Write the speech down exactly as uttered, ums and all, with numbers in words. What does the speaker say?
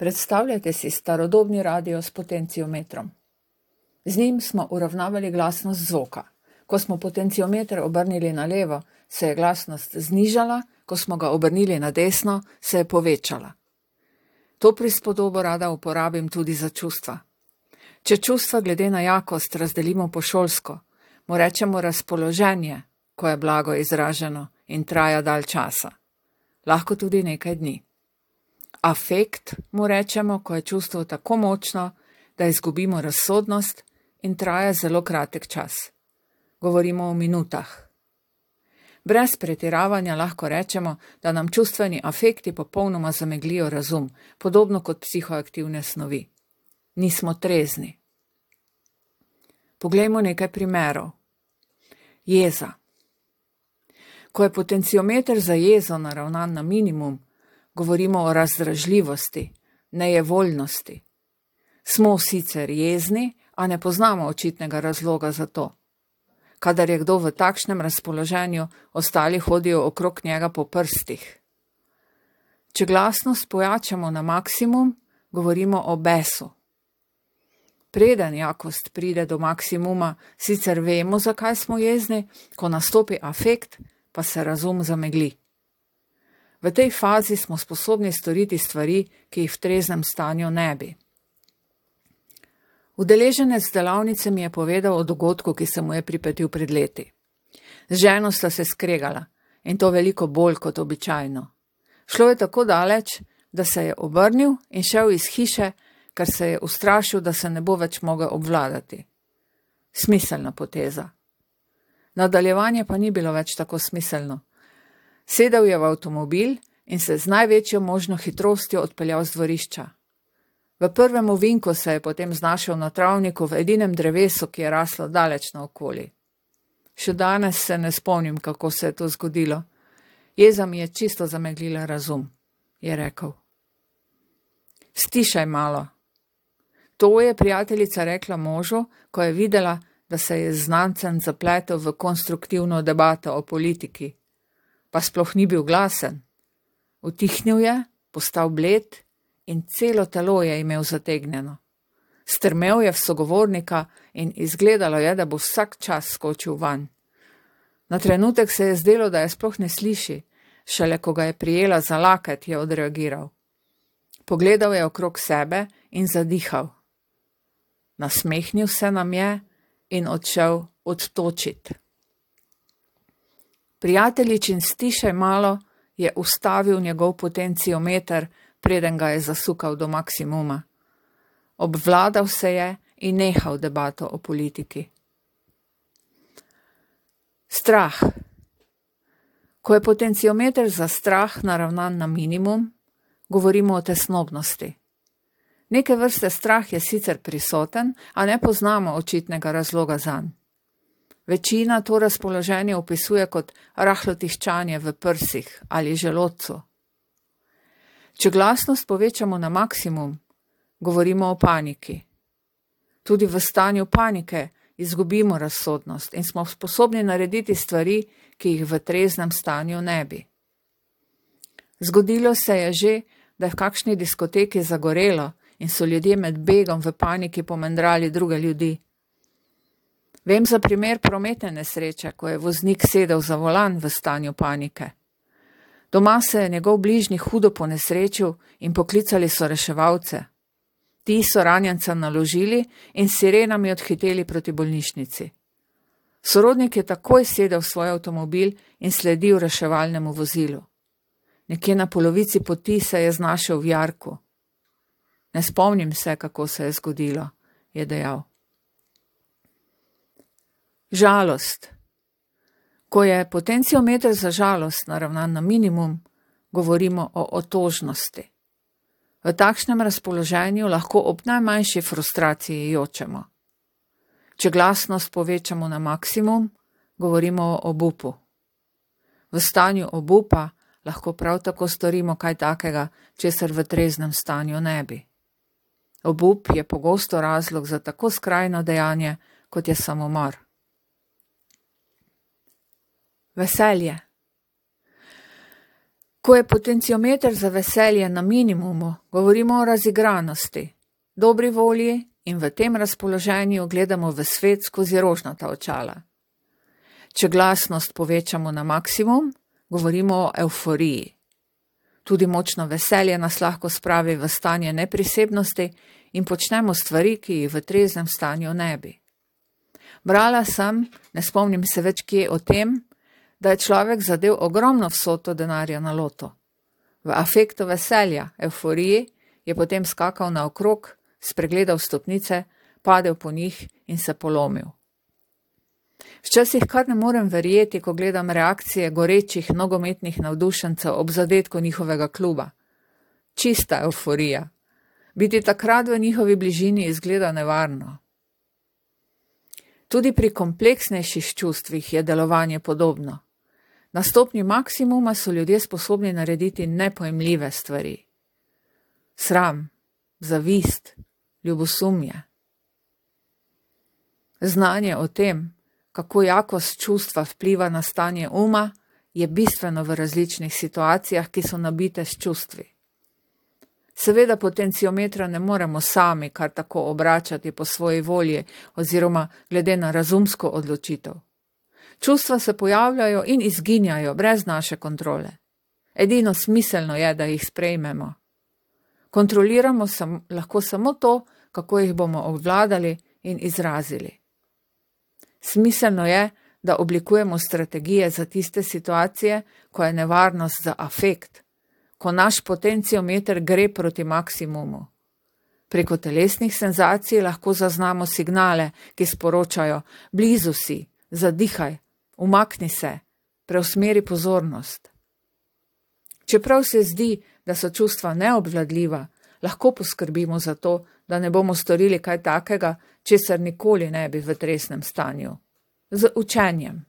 Predstavljajte si starodobni radio s potenciometrom. Z njim smo uravnavali glasnost zvoka. Ko smo potenciometer obrnili na levo, se je glasnost znižala, ko smo ga obrnili na desno, se je povečala. To prispodobo rada uporabim tudi za čustva. Če čustva glede na jakost razdelimo po šolsko, mu rečemo razpoloženje, ko je blago izraženo in traja dalj časa. Lahko tudi nekaj dni. Afekt mu rečemo, ko je čustvo tako močno, da izgubimo razsodnost in traja zelo kratek čas. Govorimo o minutah. Brez pretiravanja lahko rečemo, da nam čustveni afekti popolnoma zameglijo razum, podobno kot psihoaktivne snovi. Nismo trezni. Poglejmo nekaj primerov. Jeza. Ko je potenciometer za jezo naravnan na minimum, govorimo o razdražljivosti, nejevoljnosti. Smo sicer jezni, a ne poznamo očitnega razloga za to. Kadar je kdo v takšnem razpoloženju, ostali hodijo okrog njega po prstih. Če glasnost pojačamo na maksimum, govorimo o besu. Preden jakost pride do maksimuma, sicer vemo, zakaj smo jezni, ko nastopi afekt, pa se razum zamegli. V tej fazi smo sposobni storiti stvari, ki jih v treznem stanju ne bi. Udeleženec delavnice mi je povedal o dogodku, ki se mu je pripetil pred leti. Z ženo sta se skregala in to veliko bolj kot običajno. Šlo je tako daleč, da se je obrnil in šel iz hiše, ker se je ustrašil, da se ne bo več mogel obvladati. Smiselna poteza. Nadaljevanje pa ni bilo več tako smiselno. Sedel je v avtomobil in se z največjo možno hitrostjo odpeljal z dvorišča. V prvem ovinku se je potem znašel na travniku v edinem drevesu, ki je raslo daleč naokoli. Še danes se ne spomnim, kako se je to zgodilo. Jeza mi je čisto zameglila razum, je rekel. Stišaj malo. To je prijateljica rekla možu, ko je videla, da se je znancem zapletel v konstruktivno debato o politiki. Pa sploh ni bil glasen. Utihnil je, postal bled in celo telo je imel zategnjeno. Strmel je v sogovornika in izgledalo je, da bo vsak čas skočil vanj. Na trenutek se je zdelo, da je sploh ne sliši, šele ko ga je prijela za laket, je odreagiral. Pogledal je okrog sebe in zadihal. Nasmehnil se nam je in odšel odtočit. Prijateljičin stišaj malo je ustavil njegov potenciometer, preden ga je zasukal do maksimuma. Obvladal se je in nehal debato o politiki. Strah. Ko je potenciometer za strah naravnan na minimum, govorimo o tesnobnosti. Neke vrste strah je sicer prisoten, a ne poznamo očitnega razloga zanj. Večina to razpoloženje opisuje kot rahlo tiščanje v prsih ali želodcu. Če glasnost povečamo na maksimum, govorimo o paniki. Tudi v stanju panike izgubimo razsodnost in smo sposobni narediti stvari, ki jih v treznem stanju ne bi. Zgodilo se je že, da je v kakšni diskoteki zagorelo in so ljudje med begom v paniki pomendrali druge ljudi. Vem za primer prometne nesreče, ko je voznik sedel za volan v stanju panike. Doma se je njegov bližnji hudo ponesrečil in poklicali so reševalce. Ti so ranjenca naložili in s sirenami odhiteli proti bolnišnici. Sorodnik je takoj sedel v svoj avtomobil in sledil reševalnemu vozilu. Nekje na polovici poti se je znašel v jarku. Ne spomnim se, kako se je zgodilo, je dejal. Žalost. Ko je potenciometer za žalost naravnan na minimum, govorimo o otožnosti. V takšnem razpoloženju lahko ob najmanjši frustraciji jočemo. Če glasnost povečamo na maksimum, govorimo o obupu. V stanju obupa lahko prav tako storimo kaj takega, česar v treznem stanju ne bi. Obup je pogosto razlog za tako skrajno dejanje, kot je samomor. Veselje. Ko je potenciometer za veselje na minimumu, govorimo o razigranosti, dobri volji in v tem razpoloženju gledamo v svet skozi rožnata očala. Če glasnost povečamo na maksimum, govorimo o evforiji. Tudi močno veselje nas lahko spravi v stanje neprisebnosti in počnemo stvari, ki jih v treznem stanju ne bi. Brala sem, ne spomnim se več kje o tem, da je človek zadev ogromno vsoto denarja na loto. V afektu veselja, evforiji, je potem skakal naokrog, spregledal stopnice, padel po njih in se polomil. Včasih kar ne morem verjeti, ko gledam reakcije gorečih nogometnih navdušencev ob zadetku njihovega kluba. Čista evforija. Biti takrat v njihovi bližini izgleda nevarno. Tudi pri kompleksnejših čustvih je delovanje podobno. Na stopnji maksimuma so ljudje sposobni narediti nepojmljive stvari. Sram, zavist, ljubosumje. Znanje o tem, kako jakost čustva vpliva na stanje uma, je bistveno v različnih situacijah, ki so nabite s čustvi. Seveda potenciometra ne moremo sami kar tako obračati po svoji volji oziroma glede na razumsko odločitev. Čustva se pojavljajo in izginjajo brez naše kontrole. Edino smiselno je, da jih sprejmemo. Kontroliramo sam, lahko samo to, kako jih bomo obvladali in izrazili. Smiselno je, da oblikujemo strategije za tiste situacije, ko je nevarnost za afekt, ko naš potenciometer gre proti maksimumu. Preko telesnih senzacij lahko zaznamo signale, ki sporočajo: blizu si, zadihaj, umakni se, preusmeri pozornost. Čeprav se zdi, da so čustva neobvladljiva, lahko poskrbimo za to, da ne bomo storili kaj takega, česar nikoli ne bi v tresnem stanju. Z učenjem.